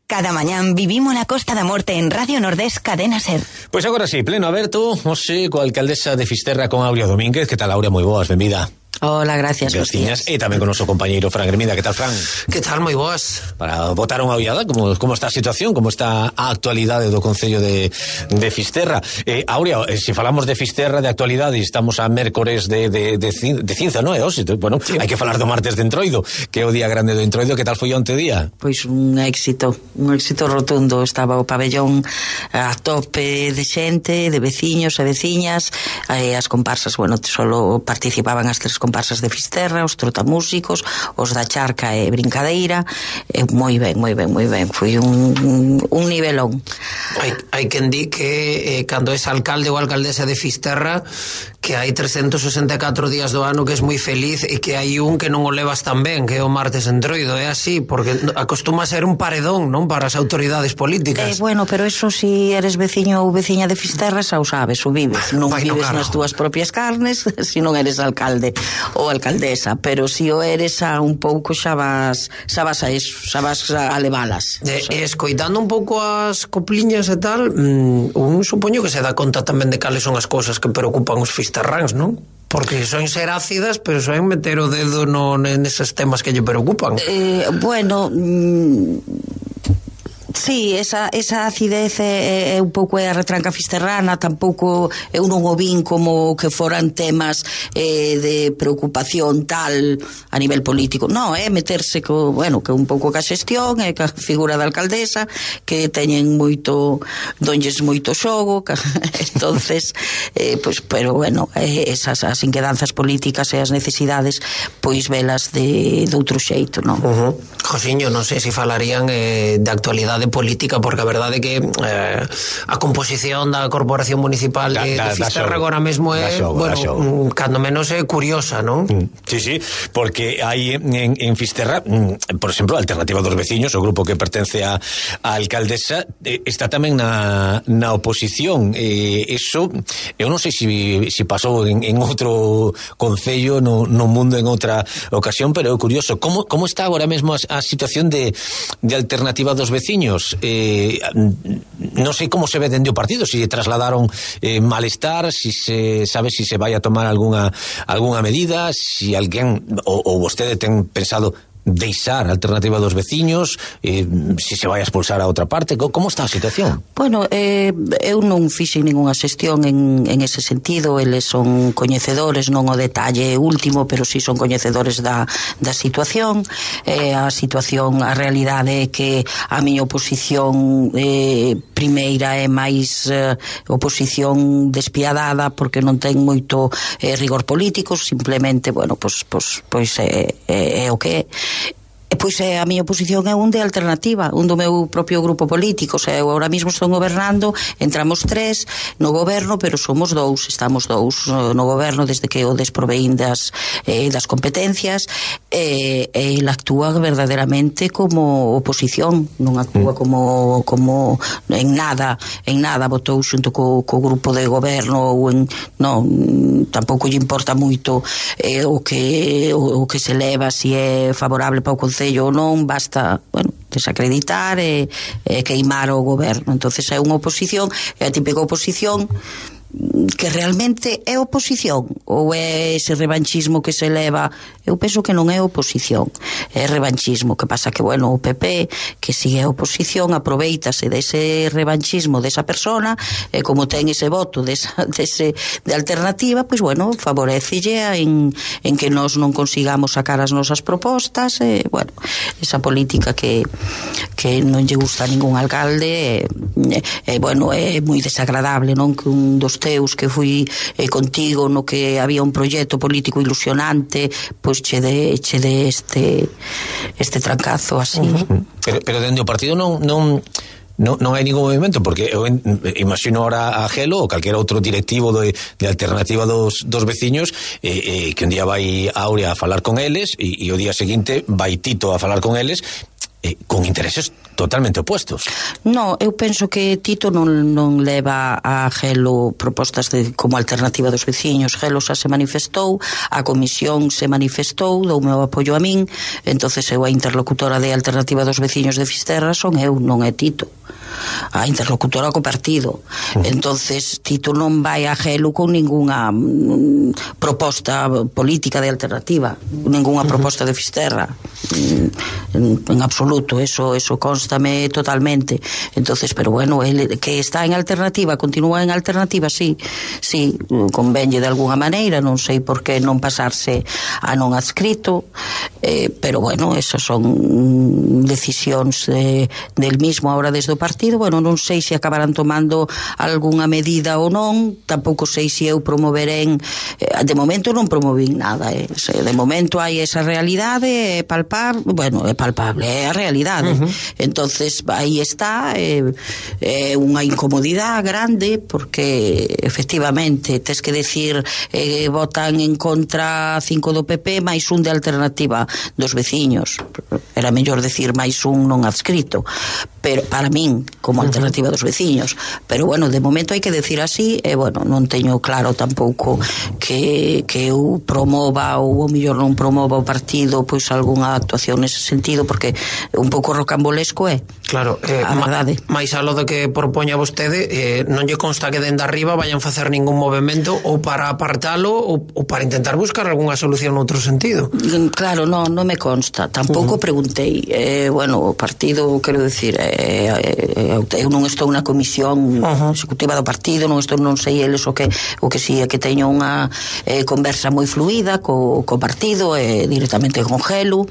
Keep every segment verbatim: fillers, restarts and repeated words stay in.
Cada mañán vivimos la Costa da Morte en Radio Nordés Cadena Ser. Pois agora sí, pleno aberto, hoxe coa alcaldesa de Fisterra, con Aurea Domínguez. Que tal, Aurea? Moi boas, benvida. Hola, gracias. Gracias. E tamén con o noso compañeiro Fran Gremida. Que tal, Fran? Que tal, moi boas. Para botar unha ollada, como, como está a situación, como está a actualidade do Concello de, de Fisterra. Eh, Aurea, eh, se falamos de Fisterra, de actualidade, estamos a mércores de, de, de, de cinza, non é? Oxe, bueno, sí. Hai que falar do martes de Entroido, que é o día grande do Entroido. Que tal foi onte día? Pois un éxito, un éxito rotundo. Estaba o pabellón a tope de xente, de veciños e veciñas, e as comparsas, bueno, solo participaban as tres comparsas de Fisterra, os trotamúsicos, os da charca e brincadeira, e moi ben, moi ben, moi ben. Foi un, un, un nivelón. Hai, hai quen di que eh, cando es alcalde ou alcaldesa de Fisterra, que hai trescentos sesenta e catro días do ano que es moi feliz, e que hai un que non o levas tan ben, que é o martes Entroido. É así, porque acostuma a ser un paredón, non, para as autoridades políticas. Eh, bueno, pero eso, si eres veciño ou veciña de Fisterra, xa o sabes, o vives. Non Vai, vives no nas túas propias carnes, se non eres alcalde ou alcaldesa, pero si o eres, a un pouco xa vas, xa vas a eso, xa vas a levalas. E, e escoitando un pouco as copliñas e tal, mmm, un supoño que se dá conta tamén de cales son as cousas que preocupan os fisterráns, non? Porque son ser ácidas, pero son meter o dedo no, neses temas que lle preocupan. Eh, bueno... Mmm... Sí, esa, esa acidez é, é un pouco a retranca fisterrana. Tampouco eu non o vin como que foran temas eh, de preocupación tal a nivel político. Non, é meterse co, bueno, que un pouco ca xestión e ca figura da alcaldesa, que teñen moito, donlles moito xogo, ca, entonces eh, pues, pero bueno, eh, esas as inquedanzas políticas e as necesidades, pois velas de, de outro xeito, non? Uh-huh. Josiño, non sei se falarían eh, de actualidade política, porque a verdade é que eh, a composición da Corporación Municipal da, de, da, de Fisterra agora mesmo é, xogo, bueno, cando menos é curiosa, non? Sí, sí, porque hai en, en Fisterra, por exemplo, a Alternativa dos Veciños, o grupo que pertence a, a alcaldesa, eh, está tamén na, na oposición. Eh, eso, eu non sei se si, si pasou en, en outro concello, no, no mundo, en outra ocasión, pero é curioso. Como, como está agora mesmo a, a situación de, de Alternativa dos Veciños? Eh, non sei como se ve dende o partido, se si trasladaron eh, malestar, si se sabe si se vai a tomar algunha algunha medida, si alguén ou, ou vostede ten pensado deixar a Alternativa dos Veciños, eh, si se vai a expulsar a outra parte. Como está a situación? Bueno, eh, eu non fixen ninguna xestión en, en ese sentido. Eles son coñecedores, non o detalle último, pero si sí son coñecedores da, da situación. Eh, a situación, a realidade é que a miña oposición eh, primeira é máis eh, oposición despiadada, porque non ten moito eh, rigor político, simplemente, bueno, pois, pois, pois é, é, é o que é. E pois é, a miña oposición é un de alternativa, un do meu propio grupo político. O sea, eu ahora mismo estou gobernando, entramos tres no goberno, pero somos dous, estamos dous no goberno desde que o desproveín das, eh, das competencias, e eh, ele actúa verdadeiramente como oposición, non actúa como, como en nada, en nada votou xunto co, co grupo de goberno, ou en, non, tampouco lle importa moito eh, o que o, o que se leva, se si é favorable para o Concello ou non, basta, bueno, desacreditar e, e queimar o goberno. Entonces é unha oposición, é a típica oposición que realmente é oposición, ou é ese revanchismo que se leva. Eu penso que non é oposición, é revanchismo. Que pasa que, bueno, o P P, que si é oposición, aproveitase dese revanchismo desa persona, e como ten ese voto desa, dese, de alternativa, pois, bueno, favorecelle en, en que nós non consigamos sacar as nosas propostas, e, bueno, esa política que, que non lle gusta a ningún alcalde, e, e bueno, é moi desagradable, non? Que un dos teus que fui eh, contigo, no que había un proxecto político ilusionante, pois che de, che de este este trancazo así. Uh-huh. Pero, pero dende o partido non non Non, non hai ningún movimento, porque eu imagino ahora a Gelo ou calquera outro directivo de, de Alternativa dos, dos Veciños, eh, eh, que un día vai a Aurea a falar con eles, e, e o día seguinte vai Tito a falar con eles, eh, con intereses totalmente opuestos. No, eu penso que Tito non, non leva a Gelo propostas de, como alternativa dos veciños. Gelo xa se manifestou, a comisión se manifestou, dou meu apoio a min, entonces eu a interlocutora de alternativa dos veciños de Fisterra son eu, non é Tito. A interlocutora co partido. Uh-huh. Entonces Tito non vai a Gelo con ningunha mm, proposta política de alternativa, ningunha uh-huh. proposta de Fisterra, en, en absoluto, eso, eso constame totalmente. Entonces, pero bueno, ele que está en alternativa, continúa en alternativa, sí, sí, convenlle de alguna maneira, non sei por que non pasarse a non adscrito, eh, pero bueno, esas son decisións de, del mismo ahora desde o partido. Bueno, non sei se acabarán tomando algunha medida ou non, tampouco sei se eu promoverén, eh, de momento non promovín nada, eh. De momento hai esa realidade, é palpar, bueno, é palpable, é a realidade. Uh-huh. Entonces aí está, é eh, eh, unha incomodidade grande, porque efectivamente tes que decir eh, votan en contra cinco do P P máis un de alternativa dos veciños. Era mellor decir máis un non adscrito, pero para min como alternativa dos veciños, pero bueno, de momento hai que decir así, e bueno, non teño claro tampouco que, que eu promova ou o mellor non promova o partido pois algunha actuación nese sentido, porque un pouco rocambolesco é. Claro, eh, a verdade. máis alo de que propoña vostede, eh, non lle consta que dende arriba vayan facer ningún movimento ou para apartalo ou, ou para intentar buscar algunha solución noutro sentido. Claro, non, non me consta, tampouco uh-huh. preguntei, eh, bueno, o partido, quero decir, eh, eh, eu non estou na comisión uh-huh. executiva do partido, non estou, non sei eles o que o que si é que teño unha eh, conversa moi fluida co, co partido, eh, directamente con Gelo.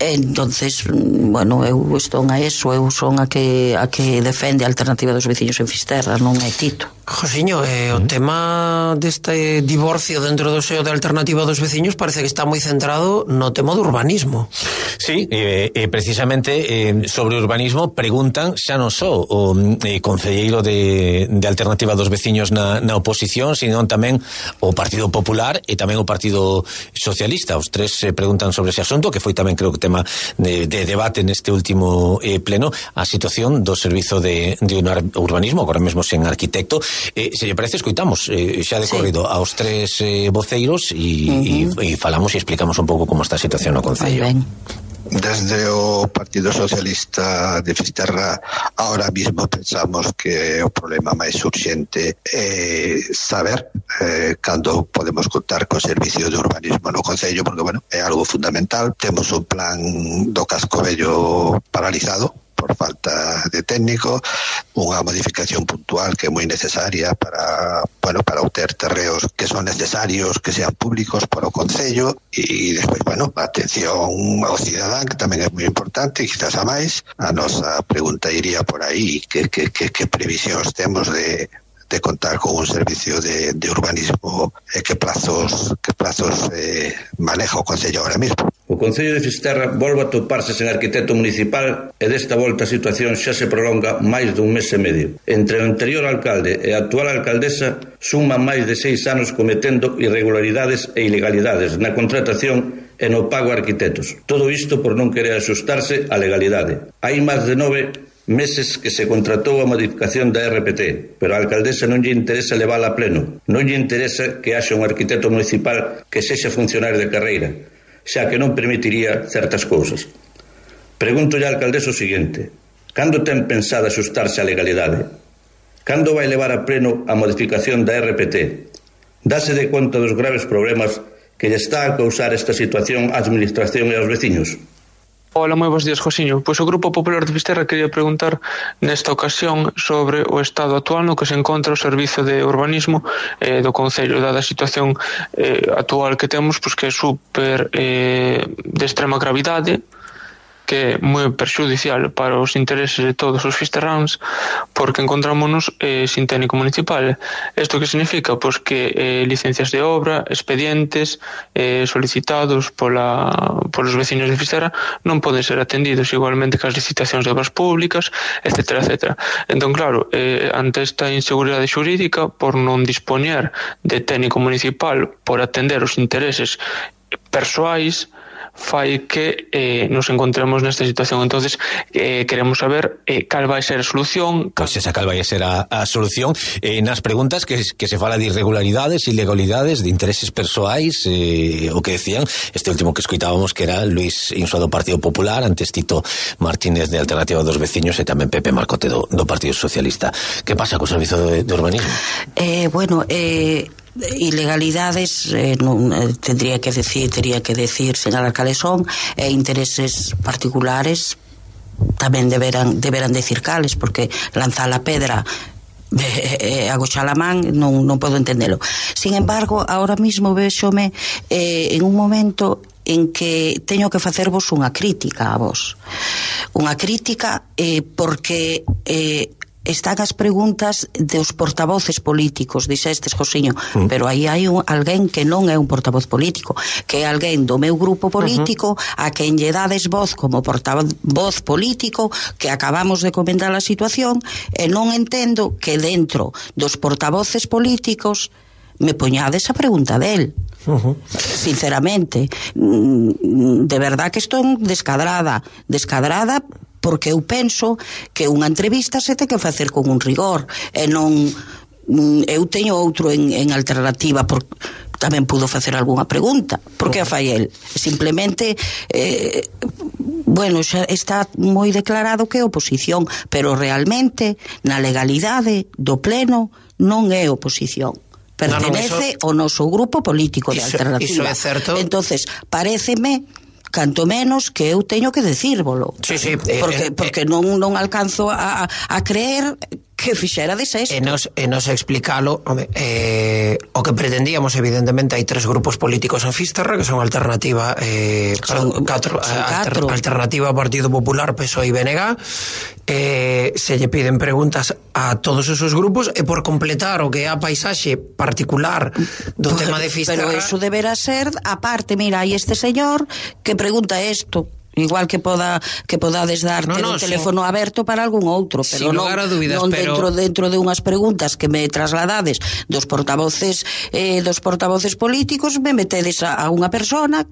Entonces, bueno, eu estou a eso, eu son a que a que defende a alternativa dos veciños en Fisterra, non é Tito. Josiño, eh, o tema deste divorcio dentro do seo de alternativa dos veciños parece que está moi centrado no tema do urbanismo. Sí, eh, eh, precisamente eh, sobre urbanismo preguntan xa non só o eh, concelleiro de, de alternativa dos veciños na, na oposición, sino tamén o Partido Popular e tamén o Partido Socialista. Os tres eh, preguntan sobre ese asunto, que foi tamén creo que tema de, de debate neste último eh, pleno, a situación do servizo de, de urbanismo, agora mesmo sen arquitecto. Eh, se lle parece, escoitamos eh, xa de corrido sí. aos tres eh, voceiros e uh-huh. falamos e explicamos un pouco como está a situación no Concello. Desde o Partido Socialista de Fisterra ahora mismo pensamos que o problema máis urxente é saber eh, cando podemos contar co servicio de urbanismo no Concello, porque bueno, é algo fundamental. Temos un plan do casco vello paralizado por falta de técnico, unha modificación puntual que é moi necesaria para, bueno, para obter terreos que son necesarios que sean públicos para o Concello, e despois, bueno, a atención ao cidadán, que tamén é moi importante, e quizás a máis. A nosa pregunta iría por aí, que, que, que, que previsións temos de de contar con un servicio de, de urbanismo, e que plazos que plazos eh, maneja o Concello ahora mismo. O Concello de Fisterra volve a toparse sen arquitecto municipal, e desta volta a situación xa se prolonga máis dun mes e medio. Entre o anterior alcalde e a actual alcaldesa suman máis de seis anos cometendo irregularidades e ilegalidades na contratación e no pago a arquitectos. Todo isto por non querer axustarse á legalidade. Hai máis de nove meses que se contratou a modificación da R P T, pero a alcaldesa non lle interesa levala a pleno, non lle interesa que haxa un arquitecto municipal que sexa funcionario de carreira, xa que non permitiría certas cousas. Pregúntolle á alcaldesa o seguinte: cando ten pensado axustarse á legalidade? Cando vai levar a pleno a modificación da R P T? Dase de conta dos graves problemas que lle está a causar esta situación á administración e aos veciños? Hola, moi bons días, Josiño. Pois o Grupo Popular de Fisterra quería preguntar nesta ocasión sobre o estado actual no que se encontra o servizo de urbanismo eh, do Concello, dada a situación eh, actual que temos, pois que é super eh, de extrema gravidade, que é moi perxudicial para os intereses de todos os fisterráns, porque encontrámonos eh, sin técnico municipal. Isto que significa? Pois que eh, licencias de obra, expedientes eh, solicitados pola, polos vecinos de Fisterra non poden ser atendidos, igualmente que as licitacións de obras públicas, etcétera, etcétera. Entón, claro, eh, ante esta inseguridade xurídica, por non dispoñer de técnico municipal por atender os intereses persoais, fai que eh, nos encontremos nesta situación. Entonces eh, queremos saber eh, cal vai ser a solución. Pois pues esa cal vai ser a, a solución eh, nas preguntas que, que se fala de irregularidades, ilegalidades, de intereses persoais, eh, o que decían este último que escoitábamos, que era Luis Insoa do Partido Popular, antes Tito Martínez de Alternativa dos Veciños e tamén Pepe Marcote do, do Partido Socialista. Que pasa co Servizo de, de Urbanismo? Eh, bueno, eh ilegalidades eh, non, eh, tendría que decir tería que decir señalar cales son, e eh, intereses particulares tamén deberán deberán decir cales, porque lanzar a pedra e eh, agochar a man non, non podo entendelo. Sin embargo, ahora mismo véxome eh, en un momento en que teño que facervos unha crítica a vos, unha crítica eh, porque eh, están as preguntas dos portavoces políticos, dixestes, Josiño, mm. pero aí hai un, alguén que non é un portavoz político, que é alguén do meu grupo político, uh-huh. a quen lle dades voz como portavoz político, que acabamos de comentar a situación, e non entendo que dentro dos portavoces políticos me poñades a pregunta del. Uh-huh. Sinceramente, de verdad que estou descadrada, descadrada porque eu penso que unha entrevista se ten que facer con un rigor, e non eu teño outro en, en alternativa, porque tamén pudo facer algunha pregunta, porque a fai el simplemente eh, bueno, xa está moi declarado que é oposición, pero realmente na legalidade do pleno non é oposición, pertenece no, no, eso, ao noso grupo político de iso, alternativa. Iso é certo. Entonces, paréceme canto menos que eu teño que decírvolo. Sí, sí, porque, eh, porque eh, non, non alcanzo a, a creer que fixera de sexto. E nos, e nos explicalo, home, eh, o que pretendíamos, evidentemente, hai tres grupos políticos en Fisterra, que son Alternativa, eh, son, perdón, catro, son alter, Alternativa, Partido Popular, P S O E e B N G, eh, se lle piden preguntas a todos esos grupos, e por completar o que é a paisaxe particular do pero, tema de Fisterra... Pero eso deberá ser, aparte, mira, hai este señor que pregunta isto, igual que poda que podades dar no, no, un teléfono sin, aberto para algún outro, pero non, dúbidas, non dentro, pero... dentro de unhas preguntas que me trasladades dos portavoces eh, dos portavoces políticos, me metedes a, a unha persona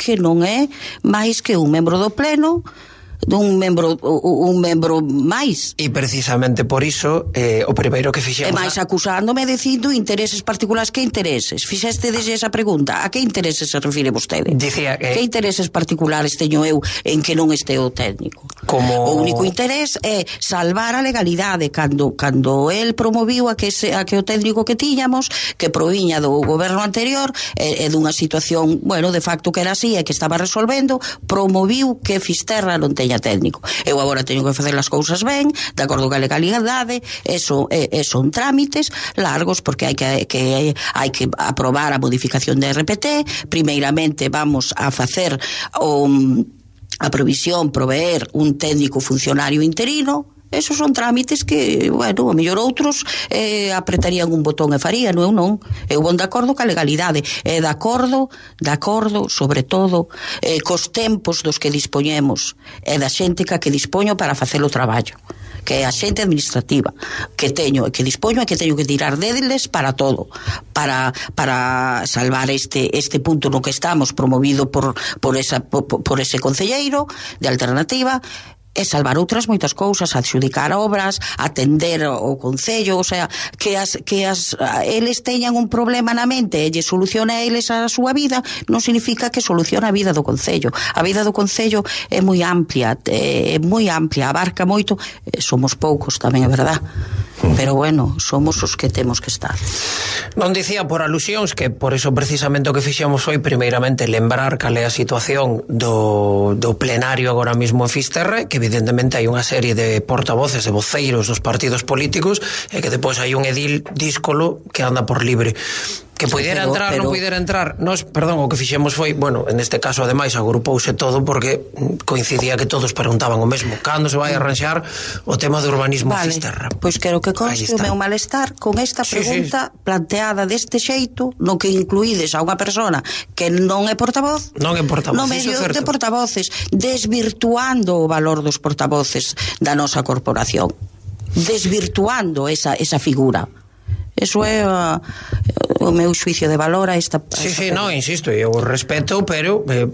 que non é máis que un membro do pleno, dun membro un membro máis. E precisamente por iso eh, o primeiro que fixemos... E máis acusándome dicindo intereses particulares. Que intereses? Fixeste desde esa pregunta. A que intereses se refire vostede? Dicía que... Que intereses particulares teño eu en que non este o técnico? Como... O único interés é salvar a legalidade. Cando, cando el promoviu a que, se, a que o técnico que tiñamos, que proviña do goberno anterior, e, e dunha situación, bueno, de facto que era así e que estaba resolvendo, promoviu que Fisterra non teña técnico. Eu agora teño que facer as cousas ben, de acordo ca legalidade, eso, e, e son trámites largos, porque hai que, que hai que aprobar a modificación de R P T. Primeiramente vamos a facer o, a provisión, proveer un técnico funcionario interino. Esos son trámites que, bueno, a mellor outros eh, apretarían un botón e farían, eu non. Eu vou de acordo ca legalidade, e de acordo, de acordo, sobre todo, eh, cos tempos dos que dispoñemos, e da xente ca que dispoño para facer o traballo, que é a xente administrativa, que teño e que dispoño e que teño que tirar deles para todo, para, para salvar este, este punto no que estamos, promovido por, por, esa, por, por ese concelleiro de Alternativa, e salvar outras moitas cousas, adxudicar obras, atender o concello, o sea, que as que as eles teñan un problema na mente e lle soluciona a eles a súa vida, non significa que soluciona a vida do concello. A vida do concello é moi amplia, é moi amplia, abarca moito, somos poucos tamén, é verdad. Pero bueno, somos os que temos que estar. Non dicía por alusións que por eso precisamente o que fixemos foi primeiramente lembrar cal é a situación do, do plenario agora mismo en Fisterra, que evidentemente hai unha serie de portavoces e voceiros dos partidos políticos e que depois hai un edil díscolo que anda por libre. Que puidera pero, entrar, pero... non puidera entrar. Nos, perdón, o que fixemos foi, bueno, en este caso ademais agrupouse todo porque coincidía que todos preguntaban o mesmo. Cando se vai a arranxar o tema do urbanismo vale. Fisterra? Pois quero que conste o meu malestar con esta pregunta sí, sí. planteada deste xeito, no que incluídes a unha persona que non é portavoz, non é portavoz, no medio de portavoces, desvirtuando o valor dos portavoces da nosa corporación, desvirtuando esa, esa figura. eso é a, o meu xuicio de valor a esta... A sí, esta sí, no, insisto, eu respeto, pero eh,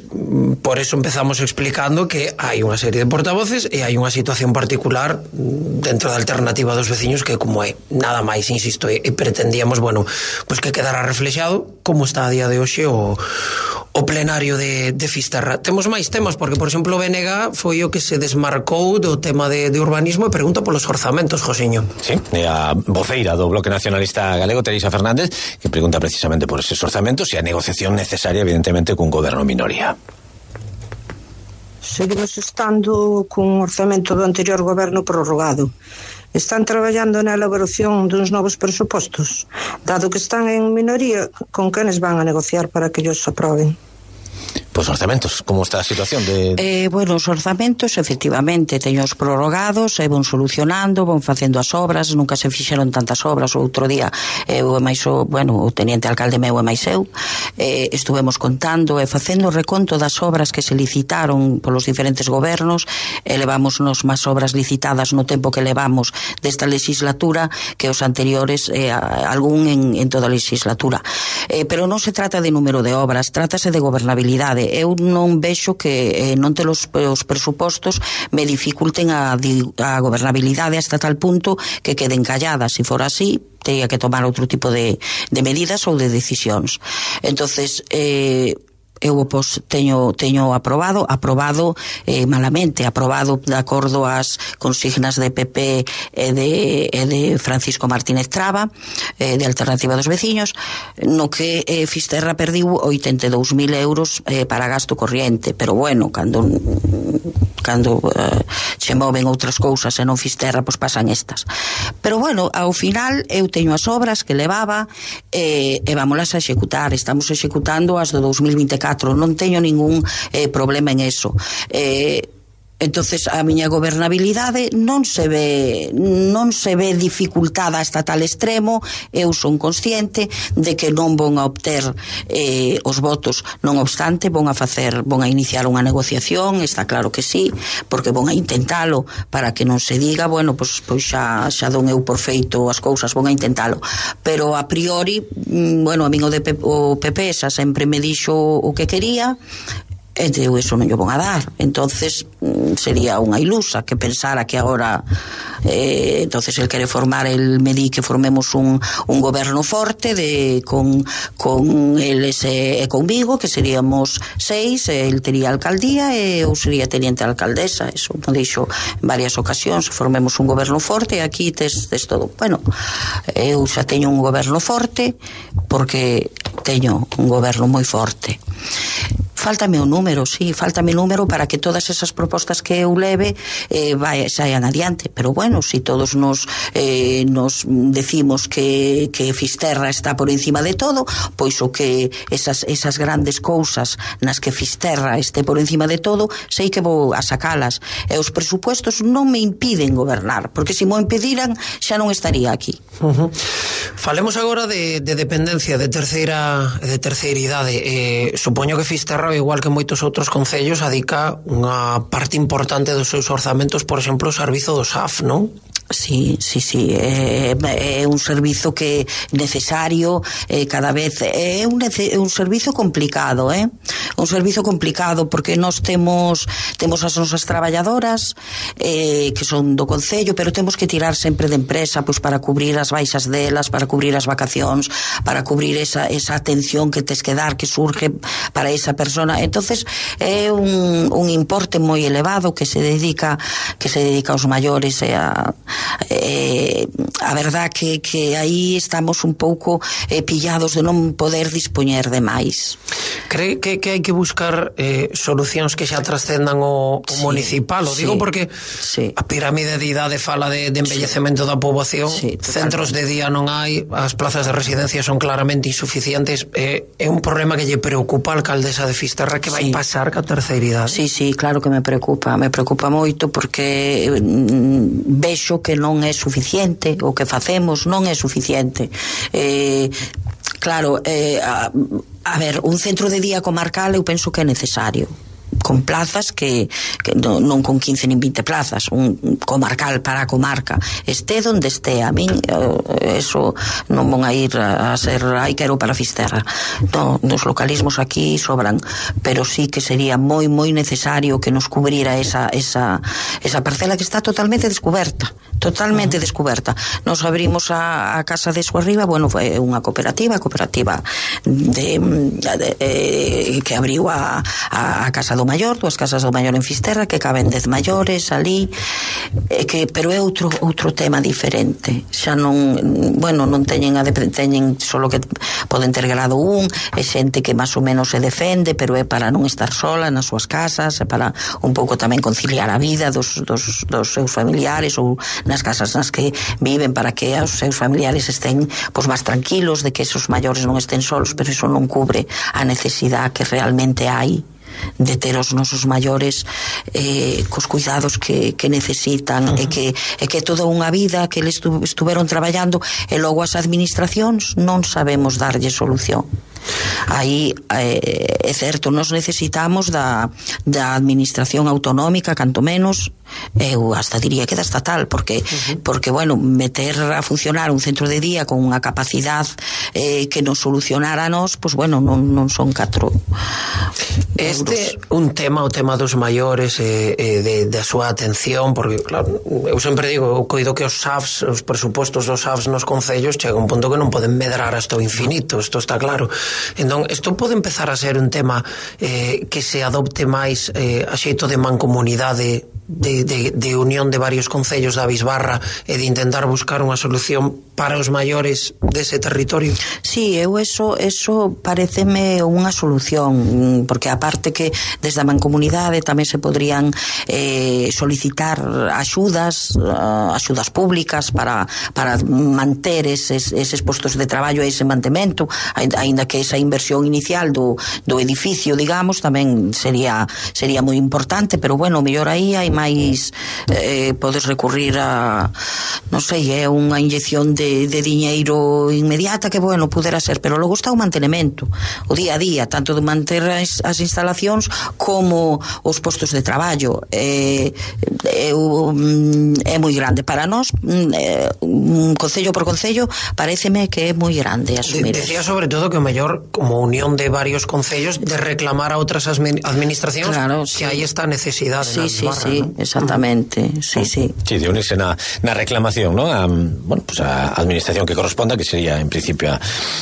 por eso empezamos explicando que hai unha serie de portavoces e hai unha situación particular dentro da alternativa dos veciños que como é, nada máis, insisto, e, e pretendíamos, bueno, pues que quedara reflexado como está a día de hoxe o, o plenario de, de Fisterra. Temos máis temas, porque, por exemplo, o B N G foi o que se desmarcou do tema de, de urbanismo e pregunta polos orzamentos, Josiño. Sí, e a voceira do Bloque Nacionalista Galego, Teresa Fernández, que pregunta precisamente por eses orzamentos e a negociación necesaria, evidentemente, cun goberno minoría. Seguimos estando cun orzamento do anterior goberno prorrogado. Están traballando na elaboración duns novos presupostos. Dado que están en minoría, con quenes van a negociar para que ellos aproben? Pois orzamentos, como está a situación de... Eh, bueno, os orzamentos efectivamente teños prorrogados e von solucionando, von facendo as obras, nunca se fixeron tantas obras. O outro día eu e máis o, bueno, o teniente alcalde meu e máis eu eh, estuvemos contando e facendo o reconto das obras que se licitaron polos diferentes gobernos e levamos nos máis obras licitadas no tempo que levamos desta legislatura que os anteriores, eh, algún en, en toda a legislatura. Eh, pero non se trata de número de obras, trátase de gobernabilidade. Eu non vexo que eh, non ter os, os presupostos me dificulten a, a gobernabilidade hasta tal punto que queden calladas. Se for así, teria que tomar outro tipo de, de medidas ou de decisións. Entonces, eh, eu pois, teño, teño aprobado aprobado eh, malamente aprobado de acordo ás consignas de P P e de, e de Francisco Martínez Traba, eh, de Alternativa dos Veciños, no que eh, Fisterra perdiu oitenta e dous mil euros eh, para gasto corriente, pero bueno, cando cando eh, se moven outras cousas e non Fisterra, pois pasan estas. Pero bueno, ao final eu teño as obras que levaba eh, e vámolas a executar. Estamos executando as do dous mil vinte e catro, non teño ningún eh, problema en eso. Eh, entonces a miña gobernabilidade non se ve non se ve dificultada hasta tal extremo. Eu son consciente de que non von a obter eh, os votos, non obstante von a facer, von a iniciar unha negociación, está claro que sí, porque von a intentalo para que non se diga, bueno, pois, pois xa, xa don eu por feito as cousas, von a intentalo, pero a priori, bueno, a min o, de P, o P P xa sempre me dixo o que quería, e eu eso non lle von a dar. Entonces sería unha ilusa que pensara que agora eh, entonces el quere formar, el me di que formemos un, un goberno forte de, con, con eles e conmigo, que seríamos seis, el tería alcaldía e eu sería teniente alcaldesa. Eso me dixo en varias ocasións, formemos un goberno forte e aquí tes, tes todo. Bueno, eu xa teño un goberno forte porque teño un goberno moi forte. Fáltame o número, sí, fáltame o número para que todas esas propostas que eu leve eh, vai, saian adiante, pero bueno, si todos nos eh, nos decimos que, que Fisterra está por encima de todo, pois o que esas, esas grandes cousas nas que Fisterra este por encima de todo, sei que vou a sacalas, e os presupuestos non me impiden gobernar, porque se mo impediran xa non estaría aquí. Uh-huh. Falemos agora de, de dependencia de terceira de terceira idade. Eh, supoño que Fisterra, igual que moitos outros concellos, adica unha parte importante dos seus orzamentos, por exemplo, o servizo do S A F, non? Sí, sí, sí, é, é un servizo que necesario eh, cada vez, é un, é un servizo complicado, eh? un servizo complicado porque nós temos temos as nosas traballadoras eh, que son do concello, pero temos que tirar sempre de empresa pois, para cubrir as baixas delas, para cubrir as vacacións, para cubrir esa, esa atención que tes que dar, que surge para esa persona. Entonces é un, un importe moi elevado que se dedica que se dedica aos maiores e a Eh, a verdad que, que aí estamos un pouco eh, pillados de non poder dispoñer de máis. Cree que, que hai que buscar eh, solucións que xa trascendan o, o sí, municipal? O digo sí, porque sí. a pirámide de idade fala de, de envellecemento sí. da poboación, sí, centros de día non hai, as plazas de residencia son claramente insuficientes. Eh, é un problema que lle preocupa a alcaldesa de Fisterra que vai sí. pasar ca terceira idade? Sí, sí, claro que me preocupa, me preocupa moito porque mm, vexo que non é suficiente, o que facemos non é suficiente. Eh, claro, eh, a, a ver, un centro de día comarcal eu penso que é necesario. con plazas que, que non, non con quince nin vinte plazas, un comarcal para a comarca, este donde este. A min eso non van a ir a ser ai quero para Fisterra. No, nos localismos aquí sobran, pero sí que sería moi moi necesario que nos cubrira esa esa esa parcela que está totalmente descuberta, totalmente uh-huh. descuberta. Nos abrimos a, a Casa de Su Arriba, bueno, foi unha cooperativa, cooperativa de, de, de que abriu a, a, a Casa do Maior, dúas casas do Maior en Fisterra, que caben dez maiores ali, eh, que, pero é outro outro tema diferente. Xa non, bueno, non teñen a de, teñen solo que poden ter grado un, é xente que máis ou menos se defende, pero é para non estar sola nas súas casas, é para un pouco tamén conciliar a vida dos, dos, dos seus familiares, ou nas casas nas que viven, para que os seus familiares estén pois máis tranquilos de que esos maiores non estén solos, pero iso non cubre a necesidade que realmente hai de ter os nosos maiores eh, cos cuidados que, que necesitan. Uh-huh. e que e que toda unha vida que eles estu, estuveron traballando, e logo as administracións non sabemos darlle solución. Aí eh, é certo, nos necesitamos da, da administración autonómica, canto menos, eu hasta diría que da estatal, porque uh-huh. porque bueno, meter a funcionar un centro de día con unha capacidade eh, que nos solucionara a nos, pois bueno, non, non son catro este euros. Un tema, o tema dos maiores e eh, eh, de, da súa atención, porque claro, eu sempre digo, eu coido que os S A Fs, os presupostos dos S A Fs nos concellos chega un punto que non poden medrar hasta o infinito, isto está claro. Entón, isto pode empezar a ser un tema eh, que se adopte máis eh, a xeito de mancomunidade, de, de, de unión de varios concellos da Bisbarra, e de intentar buscar unha solución para os maiores dese territorio. Sí, eu eso, eso pareceme unha solución, porque aparte que desde a mancomunidade tamén se podrían eh, solicitar axudas, uh, axudas públicas para, para manter eses, eses postos de traballo e ese mantemento, aínda que esa inversión inicial do, do edificio, digamos, tamén sería sería moi importante, pero bueno, mellor aí hai máis eh, podes recurrir a, non sei, é unha inyección de, de diñeiro inmediata que, bueno, pudera ser, pero logo está o mantenimento, o día a día, tanto de manter as, as instalacións como os postos de traballo. Eh, é, é moi grande para nós, eh, concello por concello, pareceme que é moi grande asumir. De, decía sobre todo que o mellor, como unión de varios concellos, de reclamar a outras administracións, claro, sí, que aí está a necesidade. Sí, sí, barra, sí, ¿no? Exactamente, sí, sí. Sí, de unirse na, na reclamación, ¿no? A, bueno, pues a administración que corresponda, que sería en principio a,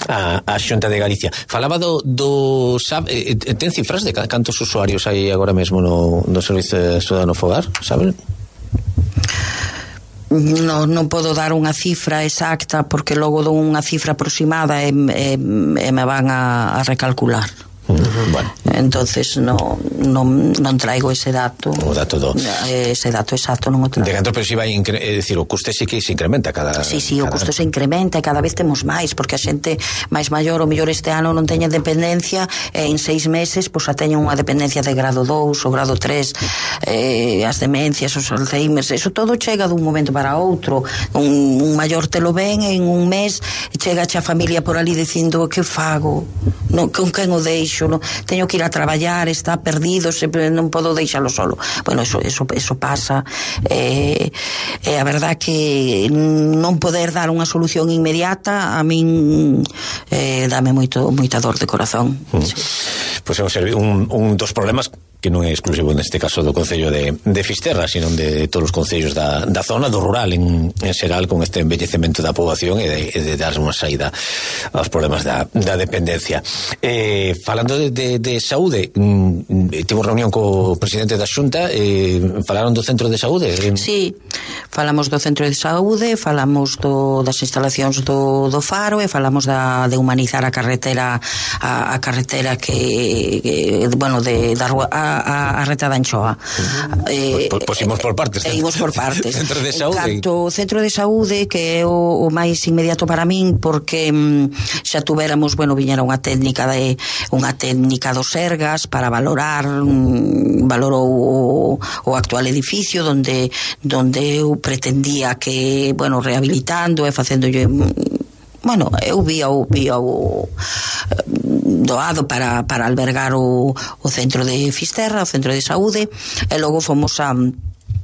a, a Xunta de Galicia. Falaba do, do sabe, eh, ten cifras de cantos usuarios hai agora mesmo no, no Servizo Ciudadano Fogar, saben? No, non podo dar unha cifra exacta, porque logo dou unha cifra aproximada e, e, e me van a, a recalcular. Uh-huh. Bueno. Entonces no, non, non traigo ese dato, o dato do... ese dato exacto non o traigo. De canto, pero si vai incre... é dicir, o custe sí que se incrementa cada... Sí, sí, cada... o custo se incrementa e cada vez temos máis, porque a xente máis maior, o mellor este ano non teña dependencia, e en seis meses pois a teña unha dependencia de grado dous ou grado tres, eh, as demencias, os Alzheimers, eso todo chega dun momento para outro. Un, un maior te lo ven en un mes, chega a familia por ali dicindo que fago, no, con quen o deixo, no, teño que ir a traballar, está perdido, sempre non podo deixalo solo. Bueno, eso, eso, eso pasa, eh, eh, a verdad que non poder dar unha solución inmediata a min eh, dame moito, moita dor de corazón. Mm. Sí. Pois pues é un, un dos problemas que non é exclusivo neste caso do Concello de, de Fisterra, sino de todos os concellos da, da zona, do rural en, en xeral, con este envellecemento da poboación e de, de dar unha saída aos problemas da, da dependencia. Eh, falando de, de, de saúde, mm, tivemos reunión co presidente da Xunta, eh, falaron do centro de saúde? Sí, falamos do centro de saúde, falamos do, das instalacións do, do Faro, e falamos da, de humanizar a carretera a, a carretera que, que bueno, de, da rúa a, a, a reta da Anchoa. Uh-huh. eh, pues, pues imos por partes. E imos por partes. Centro de saúde. Canto centro de saúde, que é o, o máis inmediato para min, porque mm, xa tuveramos, bueno, viñera unha técnica de unha técnica dos Sergas para valorar, mm, valorou o, o actual edificio donde donde eu pretendía que, bueno, rehabilitando e facéndolle, bueno, eu vía o, vía o doado para, para albergar o, o centro de Fisterra, o centro de saúde, e logo fomos a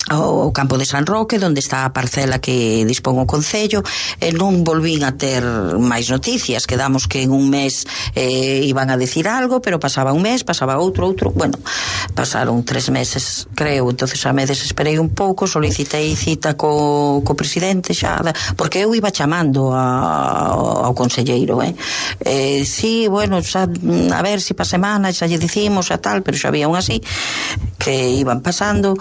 ao campo de San Roque, onde está a parcela que dispón o Concello, e non volvín a ter máis noticias. Quedamos que en un mes eh, iban a decir algo, pero pasaba un mes, pasaba outro, outro, bueno, pasaron tres meses, creo. Entonces a me desesperei un pouco, solicitei cita co, co presidente xa, porque eu iba chamando a, ao conselleiro, eh? eh sí, bueno, xa, a ver si pa semana xa lle dicimos a tal, pero xa había un así que iban pasando.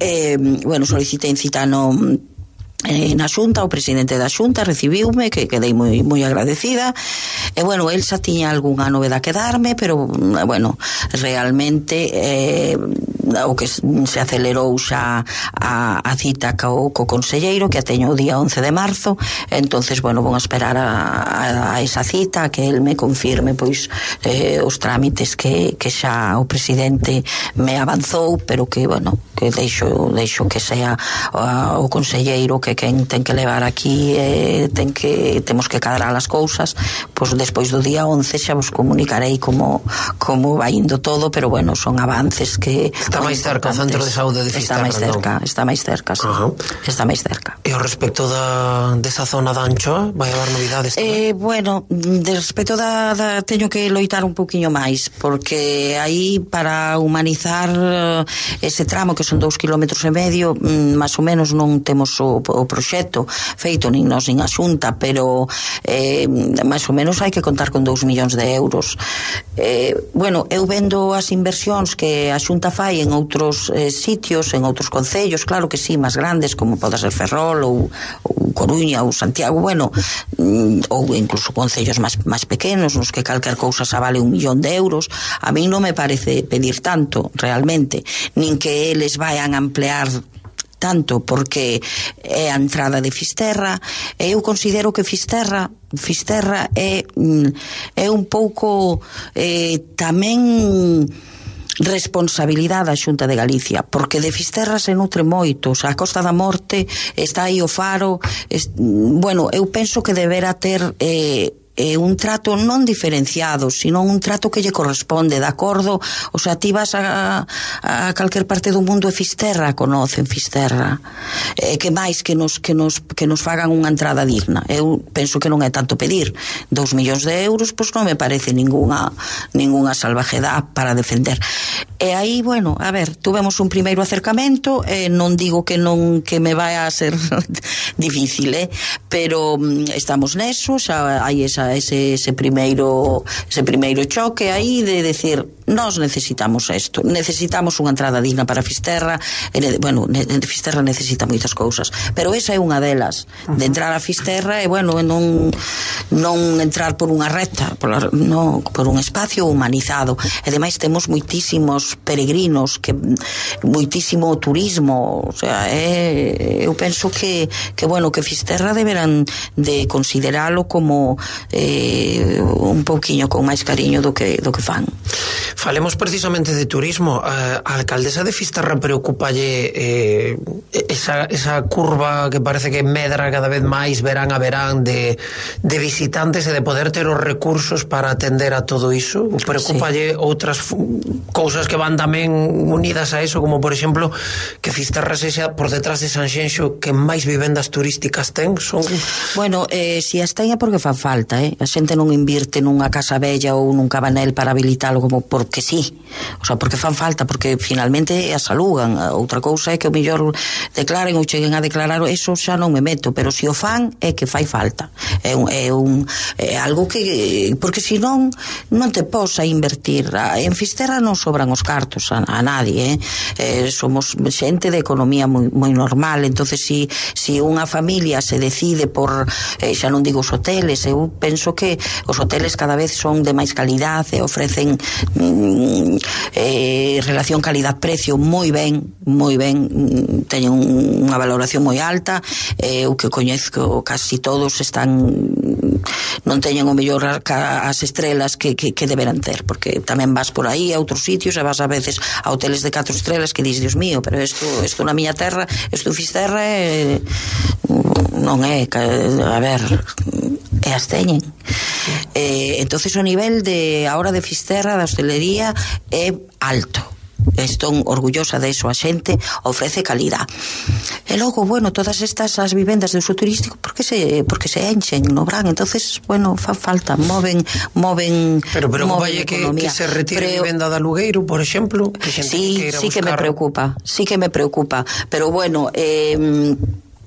Eh, bueno, solicitei cita no eh, na Xunta, o presidente da Xunta recibiume, que quedei moi moi agradecida, e bueno, el xa tiña algunha novedade que darme, pero bueno, realmente eh, o que se acelerou xa a, a cita co, co conselleiro, que a teño o día once de marzo. Entonces, bueno, vou a esperar a, a, a esa cita, que el me confirme pois eh, os trámites que, que xa o presidente me avanzou, pero que, bueno, que deixo, deixo que sea o, o conselleiro que quen ten que levar aquí, eh, ten que, temos que cadrar as cousas. Pois despois do día once xa vos comunicarei como, como vai indo todo, pero bueno, son avances que está máis cerca o centro de saúde de Fisterra. Está máis cerca, no? Está máis cerca, sí. Uh-huh. Está máis cerca. E ao respecto da desa zona da Anchoa, vai haber novidades tamén? Eh, bueno, de respecto da, da teño que loitar un poquinho máis, porque aí para humanizar ese tramo, que son dous kilómetros e medio, máis ou menos non temos o, o proxecto feito nin nós nin a Xunta, pero eh, máis ou menos hai que contar con dous millóns de euros. Eh, bueno, eu vendo as inversións que a Xunta fai en outros eh, sitios, en outros concellos, claro que sí, máis grandes, como pode ser Ferrol ou, ou Coruña ou Santiago, bueno, ou incluso concellos máis, máis pequenos, nos que calquer cousa xa vale un millón de euros. A mí non me parece pedir tanto, realmente, nin que eles vayan a ampliar tanto, porque é a entrada de Fisterra, e eu considero que Fisterra Fisterra é, é un pouco eh, tamén responsabilidade da Xunta de Galicia, porque de Fisterra se nutre moito. O sea, a Costa da Morte está aí o faro, es, bueno, eu penso que deberá ter eh, eh, un trato non diferenciado, sino un trato que lle corresponde, de acordo. O sea, ti vas a, a calquer parte do mundo e Fisterra conocen Fisterra, eh, que máis que nos, que, nos, que nos fagan unha entrada digna. Eu penso que non é tanto pedir dous millóns de euros, pois non me parece ninguna ninguna salvajedad para defender. E aí, bueno, a ver, tuvemos un primeiro acercamento, eh, non digo que non que me vai a ser difícil, eh, pero mm, estamos neso, xa hai esa ese, ese primeiro ese primeiro choque aí de decir, nós necesitamos isto, necesitamos unha entrada digna para Fisterra. E, bueno, ne, Fisterra necesita moitas cousas, pero esa é unha delas, de entrar a Fisterra e, bueno, non non entrar por unha recta, por, no, por un espacio humanizado. E ademais temos moitísimos peregrinos, que moitísimo turismo, o sea, é, eu penso que, que bueno, que Fisterra deberán de consideralo como eh, un pouquiño con máis cariño do que, do que fan. Falemos precisamente de turismo. A alcaldesa de Fisterra preocupalle eh, esa, esa curva que parece que medra cada vez máis verán a verán de, de visitantes e de poder ter os recursos para atender a todo iso? Preocupalle sí. Outras cousas que van tamén unidas a eso, como por exemplo que Fisterra sexa por detrás de Sanxenxo que máis vivendas turísticas ten? Son... Bueno, eh, si as ten é porque fan falta, eh? A xente non invirte nunha casa bella ou nun cabanel para habilitalo como porque sí, o sea, porque fan falta, porque finalmente as alugan. Outra cousa é que o mellor declaren ou cheguen a declarar, eso xa non me meto, pero se o fan é que fai falta, é, un, é, un, é algo que, porque senón non te posa invertir. En Fisterra non sobran os cartos a, a nadie, eh? Eh, somos xente de economía moi, moi normal. Entonces si, si unha familia se decide por, eh, xa non digo os hoteles, eu penso que os hoteles cada vez son de máis calidade e ofrecen eh, relación calidad-precio moi ben, moi ben, teñen unha valoración moi alta. Eh, o que coñezco casi todos están, non teñen o mellor as estrelas que, que, que deberán ter, porque tamén vas por aí a outros sitios e vas a veces a hoteles de catro estrelas que dis, Dios mío, pero isto, isto na miña terra, isto Fisterra é, non é, a ver, e as teñen. Eh, entonces o nivel de ahora de Fisterra, da hostelería, é alto. Estou orgullosa de eso, a xente ofrece calidad. E logo, bueno, todas estas as vivendas de uso turístico porque se porque se enchen no verán, entonces, bueno, fa falta, moven moven Pero pero moven que, que se retire a vivenda de alugueiro, por exemplo, que xente sí, que sí buscar... que me preocupa, sí que me preocupa, pero bueno, eh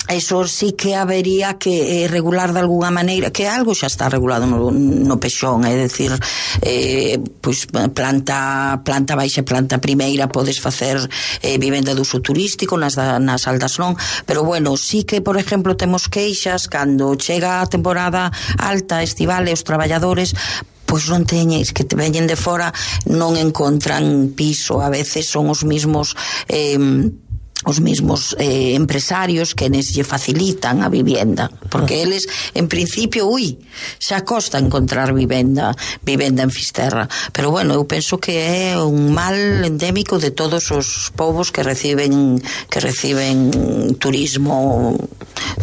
eso sí que habería que eh, regular de alguna maneira, que algo xa está regulado no, no Pexón, é dicir, eh, pois planta planta baixa, planta primeira podes facer eh, vivenda de uso turístico, nas, da, nas aldas non, pero bueno, sí que por exemplo temos queixas cando chega a temporada alta, estival, e os traballadores pois non teñeis, que te veñen de fora non encontran piso, a veces son os mismos eh, os mismos eh, empresarios que nes lle facilitan a vivienda, porque eles en principio, ui, xa costa encontrar vivenda vivenda en Fisterra, pero bueno, eu penso que é un mal endémico de todos os povos que reciben que reciben turismo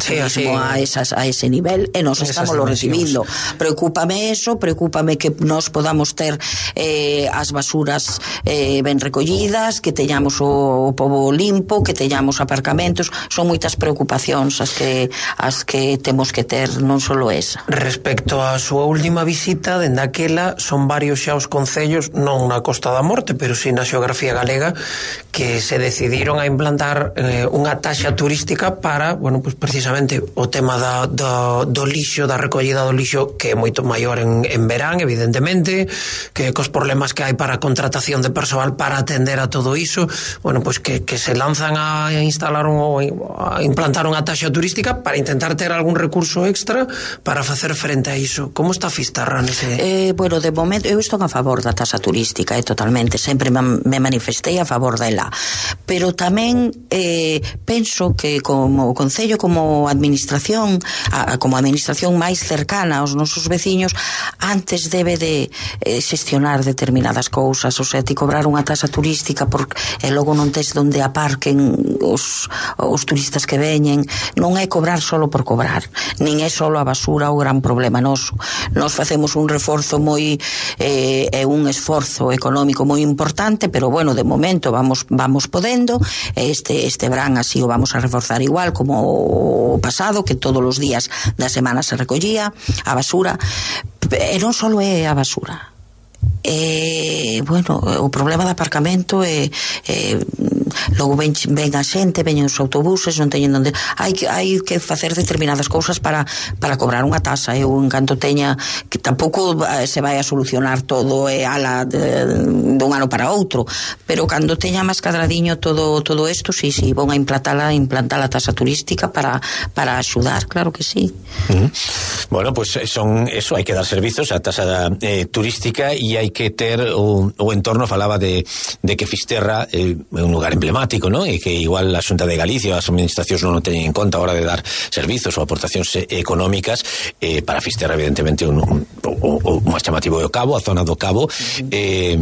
sí, turismo a, esas, a ese nivel, e nos estamos lo recibindo. Preocúpame eso, preocúpame que nos podamos ter eh, as basuras eh, ben recollidas, que teñamos o, o pobo limpo, que teñamos aparcamentos, son moitas preocupacións as que as que temos que ter, non só esa. Respecto á súa última visita, dende aquela son varios xa os concellos, non na Costa da Morte, pero si na xeografía galega, que se decidiron a implantar eh, unha taxa turística para, bueno, pues precisamente o tema da, do, do lixo, da recollida do lixo, que é moito maior en, en verán, evidentemente, que cos problemas que hai para a contratación de persoal para atender a todo iso, bueno, pues que, que se lanzan a instalar un, a implantar unha taxa turística para intentar ter algún recurso extra para facer frente a iso. Como está Fisterra nese? Eh, bueno, de momento eu estou a favor da taxa turística, eh, totalmente, sempre me manifestei a favor dela, pero tamén eh, penso que como concello, como administración a, como administración máis cercana aos nosos veciños, antes debe de eh, xestionar determinadas cousas, o sea, ti cobrar unha taxa turística porque e logo non tes donde aparquen os, os turistas que veñen, non é cobrar solo por cobrar, nin é solo a basura o gran problema noso. Nos facemos un reforzo moi eh, é un esforzo económico moi importante, pero bueno, de momento vamos vamos podendo, este este verán así o vamos a reforzar igual como o pasado, que todos os días da semana se recollía a basura, e non só é a basura. E, bueno, o problema do aparcamento é, é logo ven, ven a xente, veñen os autobuses, non teñen onde, hai que hai que facer determinadas cousas para para cobrar unha tasa. Eu en canto teña, que tampouco se vai a solucionar todo e ala de, de un ano para outro, pero cando teña máis cadradiño todo todo isto, sí, sí, vou a implantala, implantar a tasa turística para para axudar, claro que sí. Uh-huh. Bueno, pues son eso, hai que dar servizos a tasa eh, turística, e hai que ter o, o entorno. Falaba de, de que Fisterra é eh, un lugar emblemático, ¿no? E que igual a Xunta de Galicia, as administracións non o teñen en conta a hora de dar servizos ou aportacións económicas. Eh, para Fisterra, evidentemente, un, un, o, o máis chamativo é o Cabo, a zona do Cabo. Eh,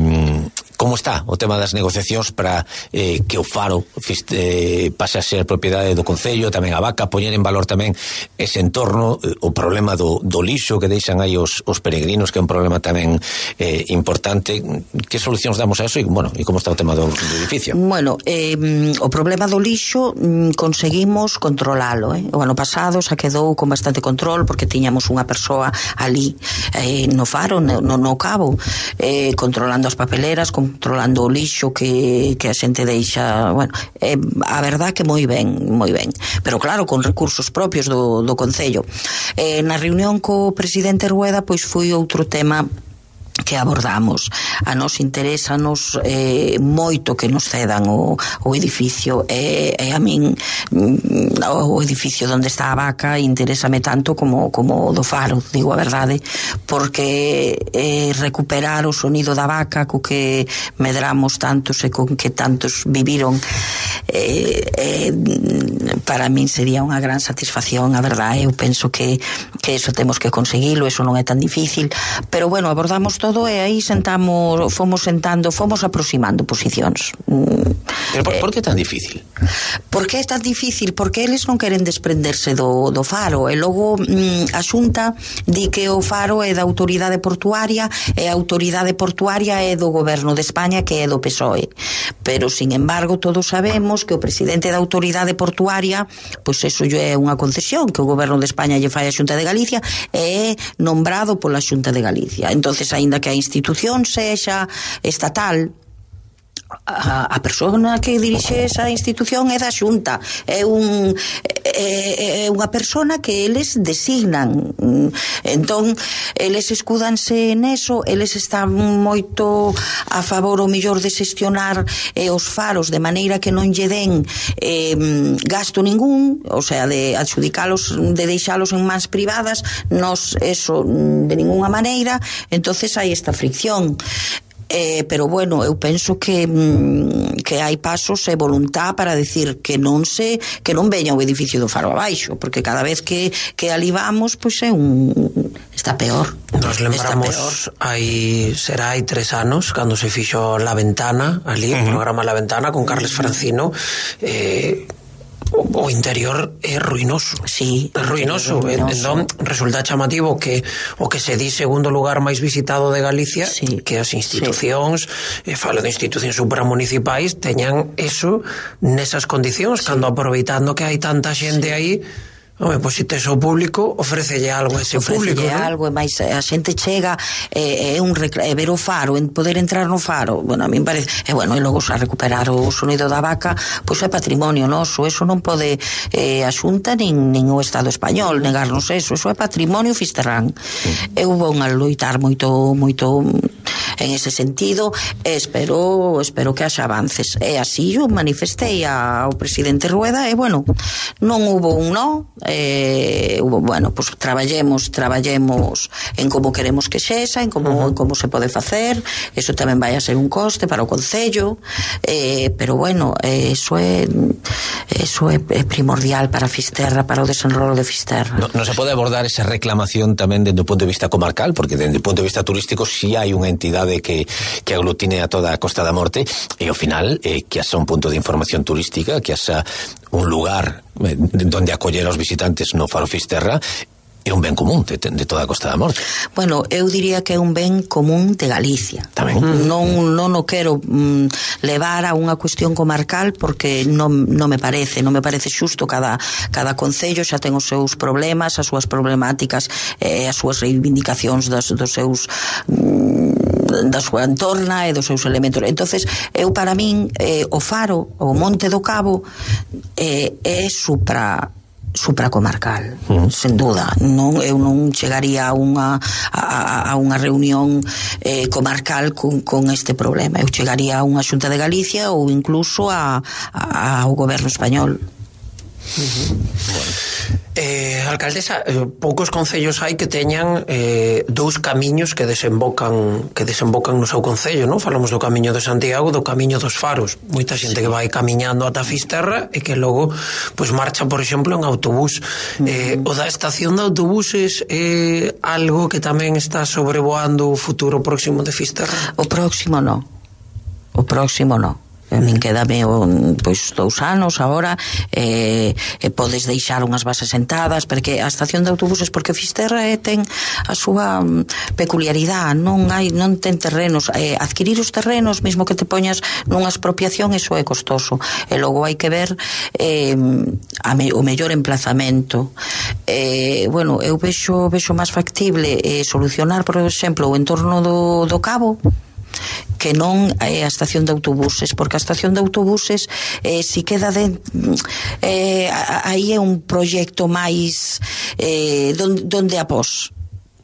como está o tema das negociacións para eh, que o Faro eh, pase a ser propiedade do Concello, tamén a Vaca, poñer en valor tamén ese entorno, eh, o problema do, do lixo que deixan aí os, os peregrinos, que é un problema tamén eh, importante. Que solucións damos a eso? E, bueno, e como está o tema do, do edificio? Bueno, eh, o problema do lixo mm, conseguimos controlalo, eh? O ano pasado xa quedou con bastante control porque tiñamos unha persoa ali eh, no Faro, no, no Cabo, eh, controlando as papeleras, controlando o lixo que, que a xente deixa. Bueno, eh, a verdad que moi ben, moi ben, pero claro, con recursos propios do, do Concello. Eh, na reunión co presidente Rueda, pois foi outro tema que abordamos. A nos interesanos eh, moito que nos cedan o, o edificio, e, e a min o edificio onde está a Vaca interésame tanto como, como o do Faro, digo a verdade, porque eh, recuperar o sonido da Vaca co que medramos tantos e con que tantos viviron, eh, eh, para min sería unha gran satisfacción, a verdade. Eu penso que, que eso temos que conseguilo, eso non é tan difícil, pero bueno, abordamos todo todo e aí sentamos, fomos sentando, fomos aproximando posicións. Pero por, por que tan difícil? Por que é tan difícil? Porque eles non queren desprenderse do, do Faro, e logo mm, a Xunta di que o Faro é da autoridade portuaria e a autoridade portuaria é do goberno de España, que é do P S O E. Pero, sin embargo, todos sabemos que o presidente da autoridade portuaria, pois eso é unha concesión que o goberno de España lle fai a Xunta de Galicia e é nombrado pola Xunta de Galicia. Entonces, aínda que a institución sexa estatal, a, a persona que dirixe esa institución é da Xunta, é un é, é unha persona que eles designan. Entón eles escúdanse neso, eles están moito a favor o mellor de xestionar eh, os faros de maneira que non lle den eh, gasto ningún, o sea, de adxudicalos, de deixalos en mans privadas. Nos eso de ninguna maneira. Entonces hai esta fricción. Eh, pero bueno, eu penso que mm, que hai pasos e voluntad para decir que non se que non veña o edificio do Faro abaixo, porque cada vez que, que ali vamos, pois pues é un está peor. Nos lembramos hai será hai tres anos cando se fixo La Ventana ali, uh-huh. o programa La Ventana con Carles Francino. eh O, o interior é ruinoso. Sí, é ruinoso. É ruinoso. Entón, resulta chamativo que o que se di segundo lugar máis visitado de Galicia, sí, que as institucións, sí. e falo de institucións supramunicipais, teñan eso nesas condicións, sí. cando aproveitando que hai tanta xente sí. aí. Home, pois se tes o público, ofrécelle algo a ese público, non? Algo, e máis a xente chega é eh, un recla- ver o Faro, en poder entrar no Faro. Bueno, a mí me parece, e bueno, e logo xa recuperar o sonido da vaca, pois é patrimonio noso, eso non pode eh, a Xunta nin, nin o Estado español negarnos eso, eso é patrimonio fisterrán. Sí. Eu vou a loitar moito moito en ese sentido, e espero espero que haxa avances. E así eu manifestei ao presidente Rueda, e bueno, non hubo un no. Eh, bueno, pues traballemos traballemos en como queremos que sexa, en como, uh-huh. en como se pode facer. Eso tamén vai a ser un coste para o Concello, eh, pero bueno, eh, eso é eso é primordial para Fisterra, para o desenrolo de Fisterra. No, no se pode abordar esa reclamación tamén desde o punto de vista comarcal, porque desde o punto de vista turístico si sí hai unha entidade que, que aglutine a toda a Costa da Morte, e ao final eh, que haxa un punto de información turística, que haxa un lugar eh, donde acoller aos visitantes no Faro Fisterra, é un ben común de, de toda a Costa da Morte. Bueno, eu diría que é un ben común de Galicia. Tamén. Non, non o quero mm, levar a unha cuestión comarcal, porque non, non me parece, non me parece xusto. Cada, cada concello xa ten os seus problemas, as súas problemáticas, eh, as súas reivindicacións dos, dos seus mm, da súa entorna e dos seus elementos. Entonces, eu para min eh, o Faro, o Monte do Cabo eh, é supra supracomarcal, uh-huh. sen duda. Non, eu non chegaría a unha a, a unha reunión eh, comarcal con, con este problema. Eu chegaría a unha Xunta de Galicia ou incluso a, a, ao goberno español. Uh-huh. Bueno. Eh, alcaldesa, eh, poucos concellos hai que teñan eh, dous camiños que desembocan que desembocan no seu concello, non? Falamos do camiño de Santiago, do camiño dos Faros. Moita xente que vai camiñando ata Fisterra e que logo pois marcha, por exemplo, en autobús. Uh-huh. Eh, o da estación de autobuses é eh, algo que tamén está sobrevoando o futuro próximo de Fisterra? O próximo non. O próximo non. A min quedame pois dous anos agora, eh, e podes deixar unhas bases sentadas, porque a estación de autobuses, porque Fisterra eh, ten a súa peculiaridade, non hai non ten terrenos, eh, adquirir os terrenos, mesmo que te poñas nunha expropiación, eso é costoso, e logo hai que ver eh, a me, o mellor emplazamento. Eh, bueno, eu vexo vexo máis factible eh, solucionar, por exemplo, o entorno do, do Cabo, que non é a estación de autobuses, porque a estación de autobuses eh, si queda de eh, aí é un proxecto máis eh, donde, donde após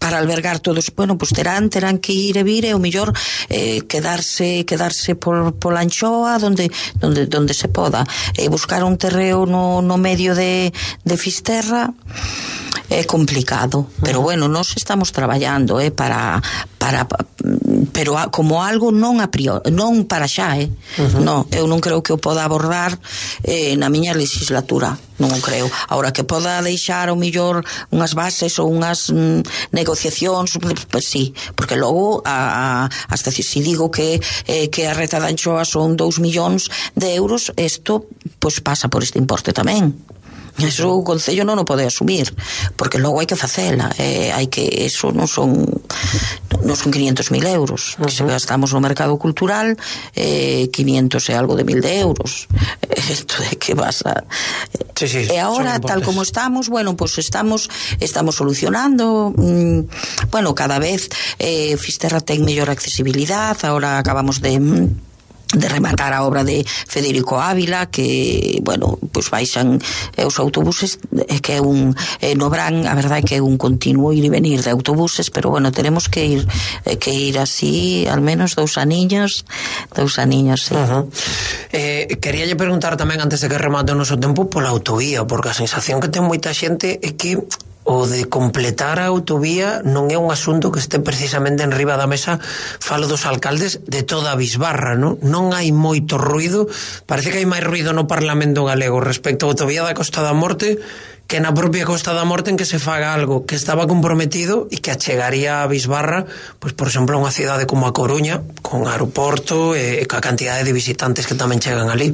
para albergar todos, bueno, pues terán terán que ir e vir, e o mellor eh, quedarse quedarse por, por la Anchoa donde donde donde se poda, eh, buscar un terreo no, no medio de, de Fisterra é complicado, pero bueno, nós estamos traballando eh, para para pero a, como algo non a priori, non para xa, eh? Uh-huh. Non, eu non creo que o poda abordar eh, na miña legislatura, non o creo. Ahora que poda deixar o millor unhas bases ou unhas mm, negociacións, pues sí, porque logo a, a, hasta si, si digo que eh, que a reta da anchoa son dous millóns de euros, isto pues pasa por este importe tamén. Eso o Concello non o pode asumir, porque logo hai que facela, eh, hai que, eso non son non son quinientos mil euros, uh-huh. que se gastamos no mercado cultural, eh, quinientos e algo de mil de euros. Esto de que vas a... Sí, sí, e agora, tal como estamos, bueno, pues estamos estamos solucionando, mmm, bueno, cada vez eh, Fisterra ten mellor accesibilidade, agora acabamos de... de rematar a obra de Federico Ávila, que, bueno, pois pues baixan eh, os autobuses, eh, que é un eh, no Bran, a verdade é que é un continuo ir e venir de autobuses, pero bueno, tenemos que ir eh, que ir así al menos dous aniños dous aniños, sí. Uh-huh. eh, Queríalle preguntar tamén, antes de que remate o noso tempo, pola autovía, porque a sensación que ten moita xente é que o de completar a autovía non é un asunto que este precisamente en riba da mesa. Falo dos alcaldes de toda a bisbarra, non? Non hai moito ruido, parece que hai máis ruido no Parlamento galego respecto á autovía da Costa da Morte que na propia Costa da Morte, en que se faga algo que estaba comprometido e que achegaría a bisbarra, pois por exemplo, unha cidade como a Coruña, con aeroporto e, e ca cantidade de visitantes que tamén chegan ali.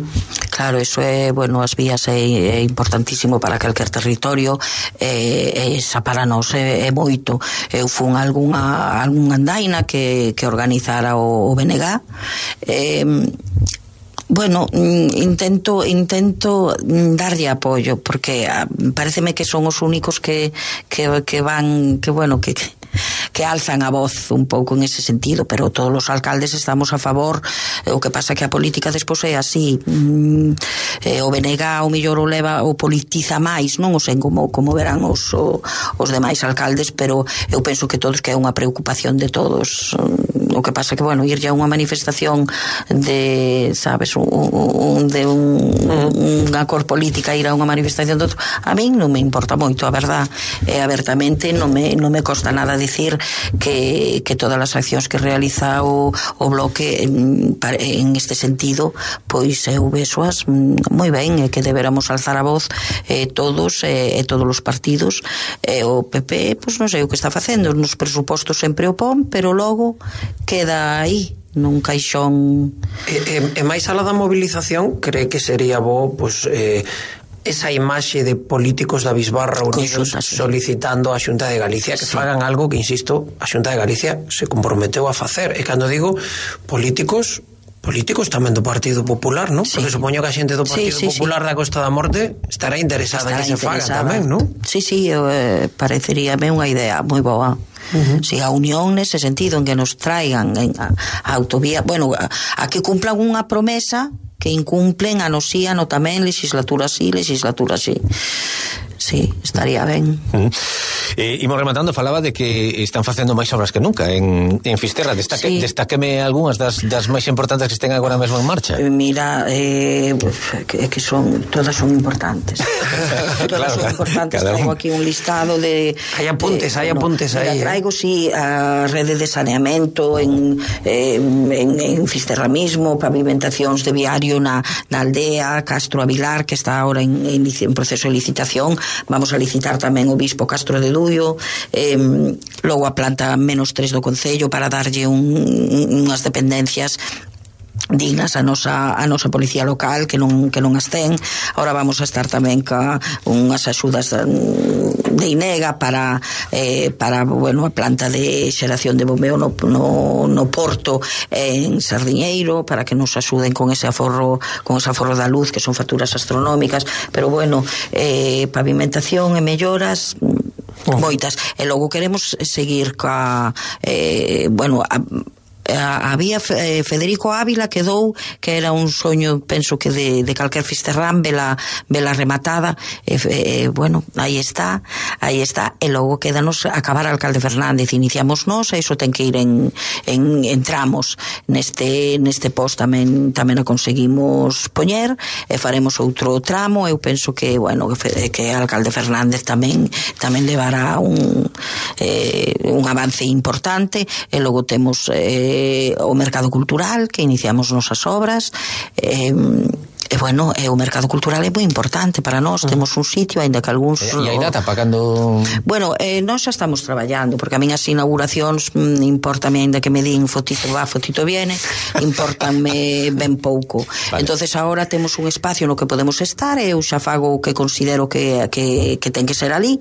Claro, eso é, bueno, as vías é, é importantísimo para calquer territorio, e, e esa para nós é, é moito. Eu fun algunha, algunha andaina que, que organizara o, o B N G. Eh, Bueno, intento intento darlle apoio, porque pareceme que son os únicos que que que van, que bueno, que que alzan a voz un pouco en ese sentido, pero todos os alcaldes estamos a favor. O que pasa que a política despois é así, mm, eh, o B N G o mellor o leva, o politiza máis, non o sei como, como verán os, o, os demais alcaldes, pero eu penso que todos, que é unha preocupación de todos. O que pasa que, bueno, ir ya a unha manifestación de, sabes, un, un, de un, unha cor política, ir a unha manifestación de outro, a min non me importa moito, a verdad, e abertamente non me, non me costa nada dicir que, que todas as accións que realiza o, o bloque en, en este sentido, pois eu vexoas moi ben, e que deberamos alzar a voz eh, todos e eh, todos os partidos. E eh, o P P, pois non sei o que está facendo, nos presupostos sempre o pon, pero logo queda aí nun caixón. E, e, e máis alá da movilización, cree que sería bo, pois, eh, esa imaxe de políticos da bisbarra unidos solicitando a Xunta de Galicia que sí. fagan algo que, insisto, a Xunta de Galicia se comprometeu a facer. E cando digo políticos, políticos tamén do Partido Popular, non? Sí. Porque supoño que a xente do Partido sí, sí, Popular sí. da Costa da Morte estará interesada estará en que interesada. Se faga tamén, non? Sí, sí, eh, pareceríame unha idea moi boa. Uh-huh. Si a unión nese sentido, en que nos traigan en a, a autovía, bueno, a, a que cumplan unha promesa que incumplen a nos sí, a no tamén, legislatura sí, legislatura sí. Sí, estaría ben. Uh-huh. E imos rematando, falaba de que están facendo máis obras que nunca en, en Fisterra. Destaque, sí. Destaqueme algunhas das, das máis importantes que estén agora mesmo en marcha. Mira, eh, que, que son, todas son importantes. Todas claro, son importantes. Traigo aquí un listado de... Hai apuntes, hai apuntes no, aí. Traigo, eh. sí, a rede de saneamento en, eh, en, en Fisterra mismo, pavimentacións de viario na, na aldea, Castro Avilar, que está ahora en, en, en proceso de licitación. Vamos a licitar tamén o Bispo Castro de Duio, eh, logo a planta menos tres do Concello para darlle un, unhas dependencias dignas a nosa, a nosa policía local que non, que non as ten. Ahora vamos a estar tamén ca unhas axudas de INEGA para eh, para, bueno, a planta de xeración de bombeo no, no, no Porto en Sardiñeiro, para que nos axuden con ese aforro, con ese aforro da luz, que son facturas astronómicas, pero bueno, eh, pavimentación e melloras moitas. E logo queremos seguir ca eh, bueno, a, había Federico Ávila quedou, que era un soño, penso que de, de calquer fisterrán, vela, vela rematada, e, e, bueno, aí está aí está, e logo quedanos acabar Alcalde Fernández. Iniciamos nós, e iso ten que ir en, en, en tramos. Neste, neste post tamén tamén a conseguimos poñer, e faremos outro tramo. Eu penso que, bueno, que, que Alcalde Fernández tamén tamén levará un eh, un avance importante, e logo temos eh, eh, o mercado cultural, que iniciamos nosas obras, eh, E, bueno, e o mercado cultural é moi importante para nós, uh-huh. temos un sitio, aínda que algúns... E hai data para cando... Bueno, eh, nós xa estamos traballando, porque a min as inauguracións mm, importame, aínda que me din fotito va, fotito viene, importanme ben pouco. Vale. Entonces agora temos un espacio no que podemos estar, e eu xa fago o que considero que, que, que ten que ser ali,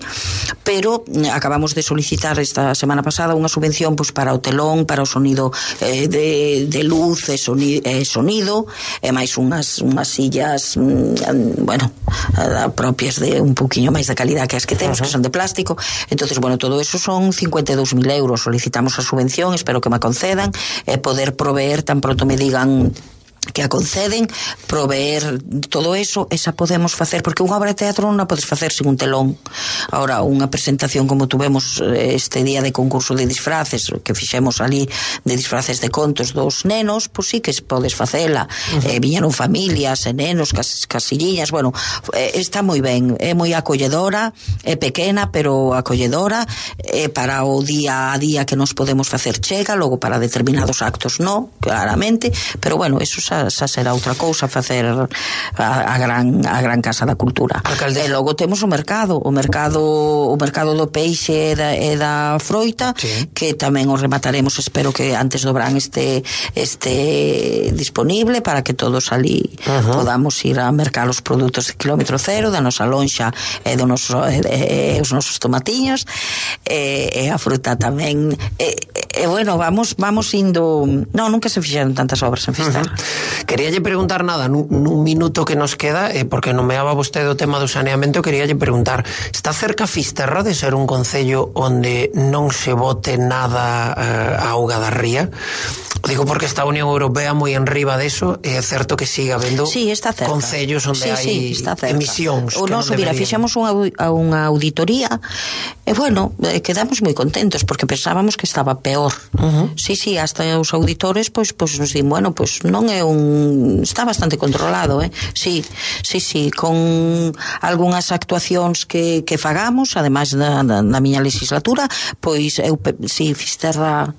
pero acabamos de solicitar esta semana pasada unha subvención pues, para o telón, para o sonido eh, de, de luz e sonido, eh, sonido e máis unhas, unhas sillas mm, bueno, propias de un pouquiño máis de calidad que as que temos, uh-huh. que son de plástico. Entonces, bueno, todo eso son cincuenta e dous mil euros. Solicitamos a subvención, espero que me concedan, e eh, poder proveer tan pronto me digan que a conceden, proveer todo eso, esa podemos facer, porque unha obra de teatro non a podes facer sin un telón. Ahora, unha presentación como tuvemos este día de concurso de disfraces, que fixemos ali de disfraces de contos dos nenos, pois sí que podes facela. Uh-huh. Eh, viñeron familias e nenos, cas, casilliñas, bueno, eh, está moi ben, é moi acolledora, é pequena, pero acolledora, é para o día a día que nos podemos facer chega, logo para determinados actos no, claramente, pero bueno, eso xa xa será outra cousa facer a, a gran a gran Casa da Cultura. Alcaldesa. E logo temos o mercado, o mercado o mercado do peixe e da, e da froita, sí. que tamén o remataremos, espero que antes do verán este este disponible para que todos ali uh-huh. podamos ir a mercar os produtos de kilómetro cero da nosa lonxa e do noso e, e os nosos tomatiños e, e a fruta tamén e, e bueno, vamos vamos indo, non, nunca se fixeron tantas obras en Fisterra. Uh-huh. Queríalle preguntar nada nun, nun minuto que nos queda, eh, porque nomeaba vostede o tema do saneamento, queríalle preguntar, está cerca Fisterra de ser un concello onde non se bote nada eh, a auga da ría? Digo porque está a Unión Europea moi enriba deso, e é certo que siga habendo sí, está cerca. Concellos onde sí, hai sí, emisións o que noso, non mira, fixemos unha, unha auditoría e bueno, eh, quedamos moi contentos porque pensábamos que estaba peor. Uh-huh. Sí, sí, hasta os auditores pois, pois nos din, bueno, pois non é un... está bastante controlado, eh? Sí, sí, sí, con algunhas actuacións que, que fagamos, ademais da, da, da miña legislatura, pois eu, sí, Fisterra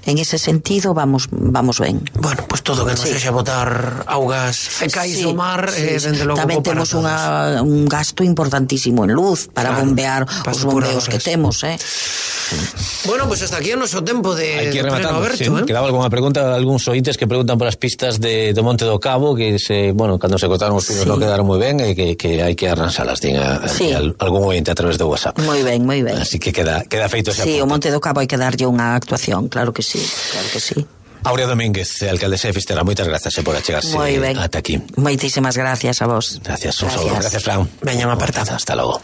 en ese sentido vamos vamos ben. Bueno, pues todo que non sí. sexa botar augas fecais sí, do mar sí, eh, dende logo tamén temos unha, un gasto importantísimo en luz para claro, bombear para os bombeos que temos, eh. Bueno, pues hasta aquí o noso tempo de, de pleno aberto, sí. eh? Quedaba algunha pregunta, algúns ointes que preguntan por as pistas de, do Monte do Cabo, que se, bueno, cando se cortaron os pinos sí. non quedaron moi ben e que, que hai que arranxalas, din a, sí. a, algún ointe a través de WhatsApp. Moi ben, moi ben. Así que queda, queda feito ese sí, apunte. O Monte do Cabo hai que darlle unha actuación, claro que sí, claro que sí. Aurea Domínguez, alcaldesa de Fisterra, moitas grazas por achegarse ata aquí. Moitísimas gracias a vos. Gracias, un saludo. Gracias, Fran. Veñan a apartar. Hasta logo.